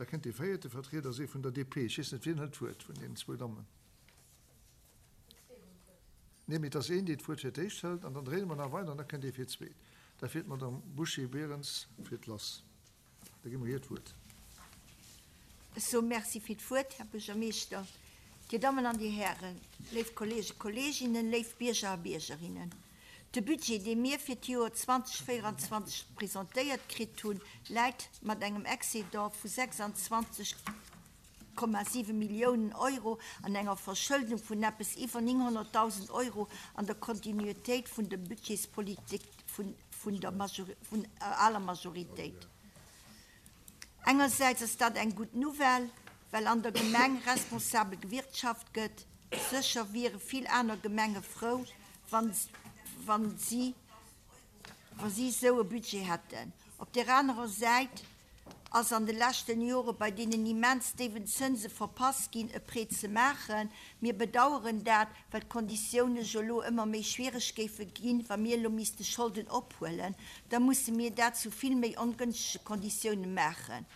Da kënnt dee véierte Vertrieder, ass ee vun der DP. Ech weess net, wien hëlt d'Wuert vun deenen zwou Dammen? Nee, mee et ass een, dee d'Wuert fir d'éischt hëlt, an dann dréine mer nach weider an da kënnt ee fir d'zweet. Dat wier d'Madame Bouché-Berens fir d'Lass. Da gi mer hir d'Wuert. Ech soe Merci fir d'Wuert, Här Buergermeeschter, Dir Dammen an Dir Hären, léif Kollegen, Kolleginnen, léif Bierger a Biergerinnen. De Budget, dee mir fir d'Joer 2024 presentéiert kritt hunn, läit mat engem Excédent vu 26,7 Milliounen Euro an enger Verschëldung vun eppes iwwer 900.000 Euro an der Kontinuitéit vun der Budgetspolitik vun der aler Majoritéit. Engersäits ass dat eng gutt Nouvelle, well an der Gemeng responsabel gewirtschaft gëtt. Sécher wiere vill aner Gemenge frou, wa si esou e Budget hätten. Op där anerer Säit ass an de leschten Jore bei deenen immens déiwen Zënse verpasst ginn, e Prêt ze maachen. Mir bedaueren dat, well d'Konditioune jo elo ëmmer méi schwiereg géife ginn. Wa mir elo misste Scholden ophuelen, da musse mir dat zu vill méi ongënschtege Konditioune maachen.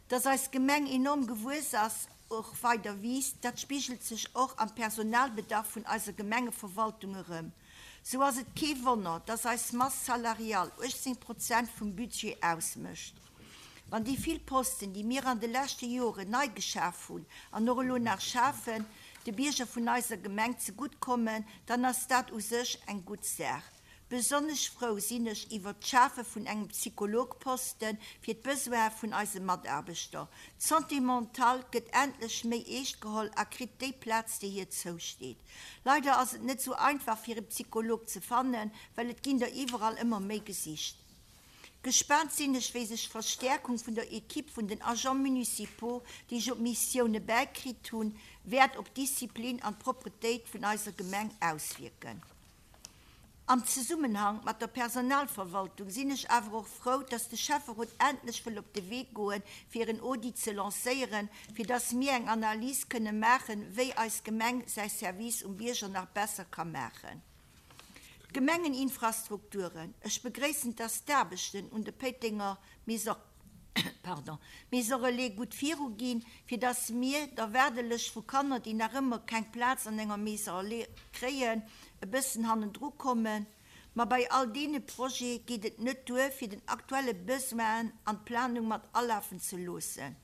Dass eis Gemeng enorm gewuess ass, och weider wiisst, dat spigelt sech och am Personalbedarf vun eiser Gemengeverwaltung erëm. Sou ass et kee Wonner, dass eis Masse salariale 18 Prozent vum Budget ausmécht. Wann déi vill Posten, déi mir an de leschte Joren nei geschaf hunn an och elo nach schafen, de Bierger vun eiser Gemeng zegutt kommen, dann ass dat u sech eng gutt Saach. Besonnesch frou sinn ech iwwert d'Schafe vun engem Psychologposte fir d'Besoine vun eise Mataarbechter. D'Santé mentale gëtt endlech méi eescht geholl a kritt déi Plaz, déi hir zousteet. Leider ass et net sou einfach fir e Psycholog ze fannen, well et ginn der iwwerall ëmmer méi gesicht. Gespaant sinn ech, wéi sech d'Verstäerkung vun der Equipe vun den Agents municipaux, déi ech op Missioune bäikritt hunn, wäert op d'Disziplin an d'Propretéit vun eiser Gemeng auswierken. Am Zesummenhang mat der Personalverwaltung sinn ech awer och frou, dass de Schäfferot endlech wëll op de Wee goen, fir en Audit ze lancéieren, fir dass mir eng Analys kënne maachen, wéi eis Gemeng säi Service um Bierger nach besser ka maachen. D'Gemengeninfrastrukturen, Ech begréissen, dass d'Aarbechten un de Péitenger Maison pardon, Maison Relais gutt viru ginn, fir dass mir der Waardelëscht vu Kanner, déi nach ëmmer keng Plaz an enger Maison Relais kréien, e bëssen hannendru kommen. Ma bei all deene Projete geet et net duer, fir den aktuelle Besoinen an d'Planung mat alafen ze loossen.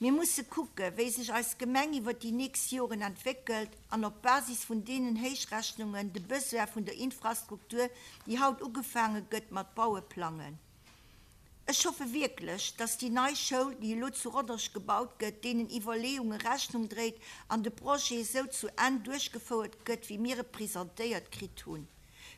Mir musse kucke wéi sech eis Gemeng iwwer déi nächst Joren entwéckelt an op Basis vun deenen Héichrechnungen de Besoin vun der Infrastruktur, déi haut ugefaange gëtt mat baue, plangen. Ech hoffe wierklech, dass déi nei Schoul, déi elo zu Rodange gebaut gëtt, deenen Iwwerleeunge Rechnung dréit an de Projet esou zu Enn duerchgefouert gëtt, wéi mir e presentéiert kritt hunn.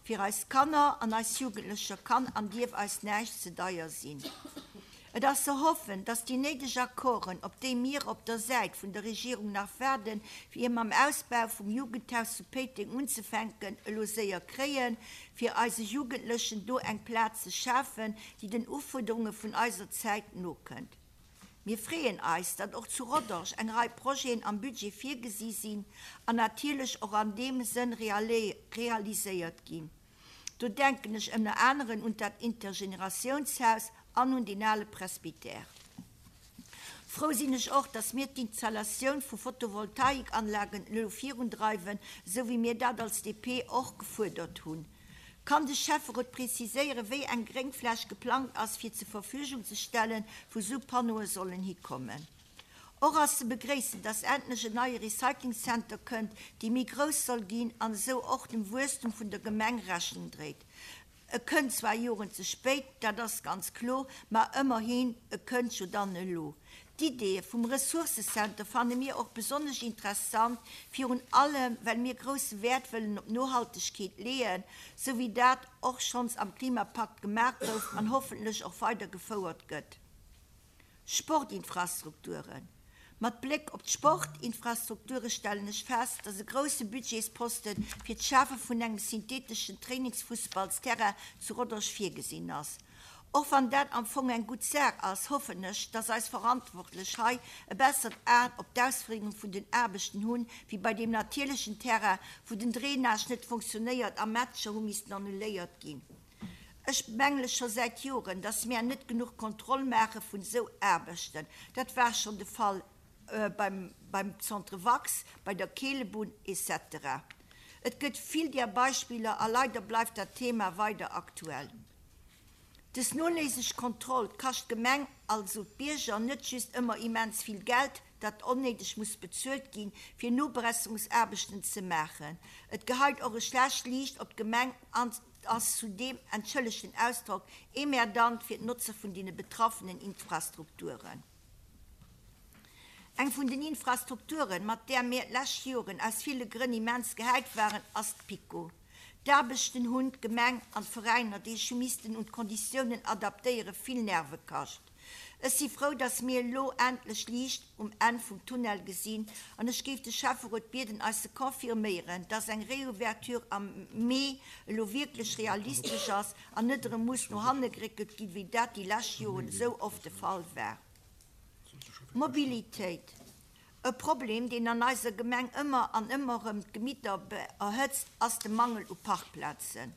Fir eis Kanner an eis Jugendlecher kann an dierf eis näischt ze deier sinn. Et ass ze hoffen, dass déi néideg Accorden, op déi mir op der Säit vun der Regierung nach waarden, fir mam Ausbau vum Jugendhaus zu Péiteng unzefänken, elo séier kréien, fir eise Jugendlechen do eng Plaz ze schafen, déi den Ufuerderunge vun eiser Zäit nokënnt. Mir freeën eis, datt och zu Rodange eng Rei Projeten am Budget virgesi sinn an natierlech och an deem Sënn realiséiert ginn. Do denken ech ënner aneren un dat Intergeneratiounshaus an un deen ale Presbytère. Frou sinn ech och, dass mir d'Installatioun vu Photovoltaikanlagen elo virundreiwen, esou wéi mir dat als DP och gefuerdert hunn. Kann de Schäfferot preziséieren, wéi eng Gréngfläch geplangt ass, fir zur Verfügung ze stellen, wou esou Panneaue sollen hikommen? Och ass ze begréissen, dass endlech en neie Recyclingcenter kënnt, dee méi grouss soll ginn an esou och dem Wuesstum vun der Gemeng Rechnung dréit. E kënnt zwar Joren ze spéit, dat ass ganz kloer, ma ëmmerhin, e kënnt jo dann elo. D'Iddee vum Ressourcecenter fanne mir och besonnesch interessant, virun allem well mir grousse Wäert wëllen op Nohaltegkeet leeën, sou wéi dat och schonns am Klimapakt gemaach gouf an hoffentlech och weider gefouert gëtt. Sportinfrastrukturen. Mat Bléck op d'Sportinfrastrukture stellen ech fest, dass e grousse Budgetsposte fir d'Schafe vun engem syntheteschen Trainingsfussballsterrain zu Rodange virgesinn ass. Och wann dat am Fong eng gutt Saach ass, hoffen ech, dass eis Verantwortlech hei e bessert Aen op d'Ausféierung vun den Aarbechten hunn, wéi bei deem natierlechen Terrain, wou den Drainage net funktionéiert a Matcher hu missten annuléiert ginn. Ech bemängele scho säit Joren, dass mär net genuch Kontroll maache vun esou Aarbechten. Dat war schonn de Fall beim beim Centre Wax, bei der Keelebunn etc. Et gëtt vill där Beispiller a leider bleift dat Thema weider aktuell. Dës noléiseg Kontroll kascht d'Gemeng, also d'Bierger, net just ëmmer immens vill Geld, dat onnéideg muss bezuelt ginn, fir Nobesserungsaarbechten ze maachen. Et geheit och e schlecht Liicht op d'Gemeng an ass zudeem, entschëllegt den Ausdrock, emmerdant fir d'Notzer vun deene betraffenen Infrastrukturen. Eng vun den Infrastrukturen, mat där mir d'lescht Joren aus ville Grënn immens gehäit waren, ass d'PiKo. D'Aarbechten hunn d'Gemeng an d'Veräiner, déi sech hu missten un d'Konditiounen adaptéieren, vill Nerve kascht. Ech si frou, dass mir elo endlech Liicht um Enn vum Tunnel gesinn an ech géif de Schäfferot bieden, eis ze confirméieren, dass eng Réouverture am Mee elo wierklech realistesch ass an net erëm muss no hanne geréckelt ginn, wéi dat déi lescht Joren esou oft de Fall war. Mobilitéit. E Problem, deen an eiser Gemeng ëmmer an ëmmer erëm d'Gemitter erhëtzt, ass de Mangel u Parkplazen.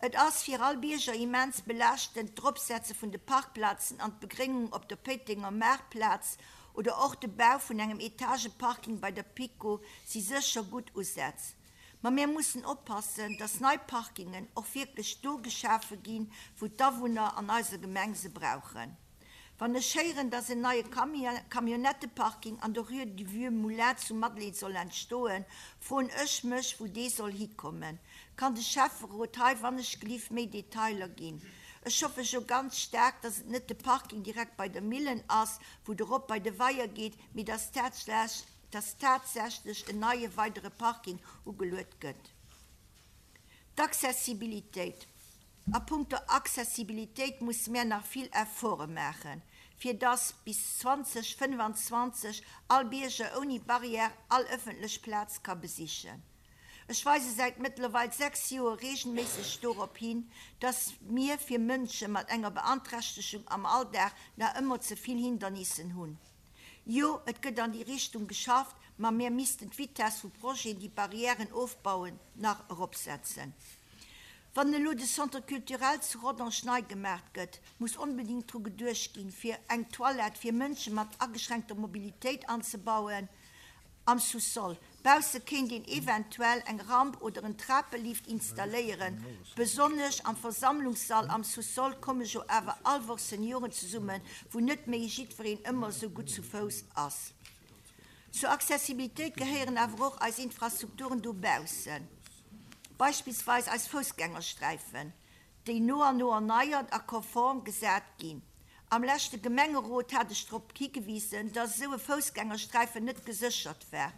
Et ass fir all Bierger immens belaaschtend, d'Eropsetze vun de Parkplazen an d'Begréngung op der Péitenger Maartplaz oder och de Bau vun engem Etageparking bei der PiKo si sécher gutt Usätz. Ma mir mussen oppassen, dass nei Parkingen och wierklech do geschafe ginn, wou d'Awunner an eiser Gemeng se brauchen. Wann ech héieren, dass en neie Camionnetteparking an der Rue du Vieux Moulin zu Madeleine soll entstoen, froen ech mech, wou dee soll hikommen. Kann de Schäfferot hei wannechgelift méi Detailer ginn? Ech hoffe jo ganz staark, dass et net de Parking direkt bei der Millen ass, wou et erop bei de Weier geet, mee dass tatsächlech en neie weidere Parking ugeluet gëtt. D'Accessibilitéit. A punkto Accessibilitéit musse mär nach vill Efforte maachen, fir dass bis 2025 all Bierger ouni Barrière all ëffentlech Plaz ka besichen. Ech weise säit mëttlerweil 6 Joer reegelméisseg dorop hin, dass mir fir Mënsche mat enger Beanträchtegung am Alldag nach ëmmer ze vill Hindernissen hunn. Jo, et gëtt an déi Richtung geschafft, ma mir missten d'Vitess vu Projeten, déi Barrièren ofbauen, nach eropsetzen. Wann elo de Centre culturel zu Rodange nei gemaacht gëtt, muss onbedéngt dru geduecht ginn, fir eng Toilette fir Mënsche mat ageschränkter Mobilitéit anzebauen am Sous-sol. Bausse kéint een eventuell eng Ramp oder en Trapelift installéieren. Besonnesch am Versammlungssall am Sous-sol komme jo awer all Woch Senioren zesummen, wou net méi jiddwereen ëmmer esou gutt zu Fouss ass. Zur Accessibilitéit gehéieren awer och eis Infrastrukturen dobaussen, beispillsweis eis Foussgängersträifen, déi no an no erneiert a konform gesat ginn. Am leschte Gemengerot hat ech drop higewisen, dass esou e Foussgängersträifen net geséchert war,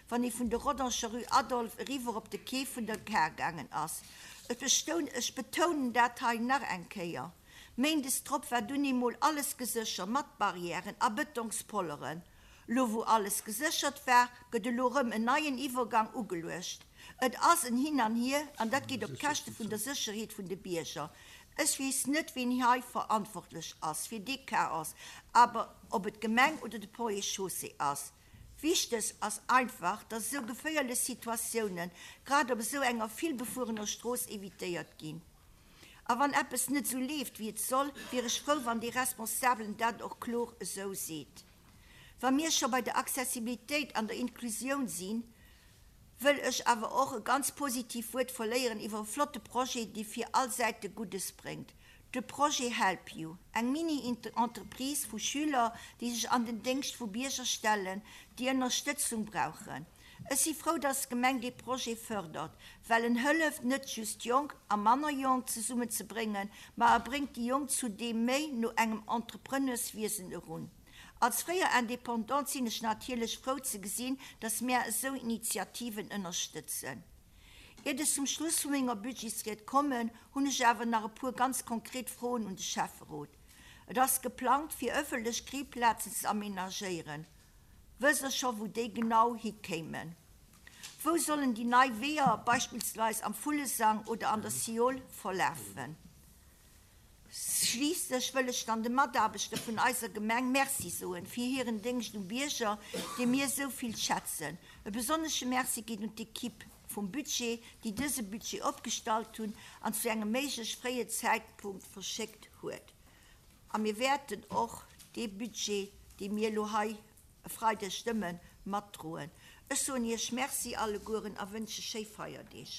wann ee vun der Rodanger Rue Adolphe eriwwer op de Quai vun der Gare gaangen ass. Ech betounen dat hei nach eng Kéier. Méindes drop war dunn eemol alles gesécher mat Barrièren a Bëtongspolleren. Lo wou alles geséchert war, gëtt elo rëm en neien Iwwergang ugeluecht. Et ass en Hin an Hier an dat geet op d'Käschte vun der Sécherheet vun de Bierger. Ech weess net ween hei verantwortlech ass fir dee Chaos, awer ob et d'Gemeng oder de Ponts et Chaussées ass. Wichteg ass einfach, dass esou geféierlech Situatiounen, grad op esou enger villbefuerener Strooss evitéiert ginn. A wann eppes net esou leeft wéi et soll, wier ech frou wann dee Responsabelen dat och kloer esou seet. Wa mir scho bei der Accessibilitéit an der Inklusioun sinn, wëll ech awer och e ganz positiv Wuert verléieren iwwer e flotte Projet, dee fir all Säite Guddes bréngt, de Projet Help You, eng Mini-Entreprise vu Schüler, déi sech an den Déngscht vu Bierger stellen, déi Ënnerstëtzung brauchen. Ech si frou, dass d'Gemeng dee Projet fërdert, well en hëlleft net just Jonk a manner Jonk zesummen ze bréngen, ma e bréngt déi Jonk zudeem méi no engem Entrepreneurswiesen erun. Als fréier Indépendante sinn ech natierlech frou ze gesinn, dass mär esou Initiativen ënnerstëtzen. Iert ech zum Schluss vu menger Budgetsried kommen, hunn ech awer nach e puer ganz konkret Froen un de Schäfferot. Et ass geplangt, fir ëffentlech Grillplazen ze aménagéieren. Wësst Der scho wou déi genau hikéimen? Wou sollen déi nei Weeër, beispillsweis am Vullesang oder an der Siol, verlafen? Schliisslech wëll ech dann de Mataarbechter vun eiser Gemeng Merci soen fir hiren Déngscht um Bierger, dee mir esou vill schätzen. E besonnesche Merci geet un d'Equipe. vum Budget, déi dëse Budget opgestallt hunn an zu engem méiglech fréie Zäitpunkt verschéckt huet. A mir wäerten och dee Budget, dee mir elo hei e Freideg stëmmen, matdroen. Ech soen Iech Merci allegueren a wënsche schéi Feierdeeg.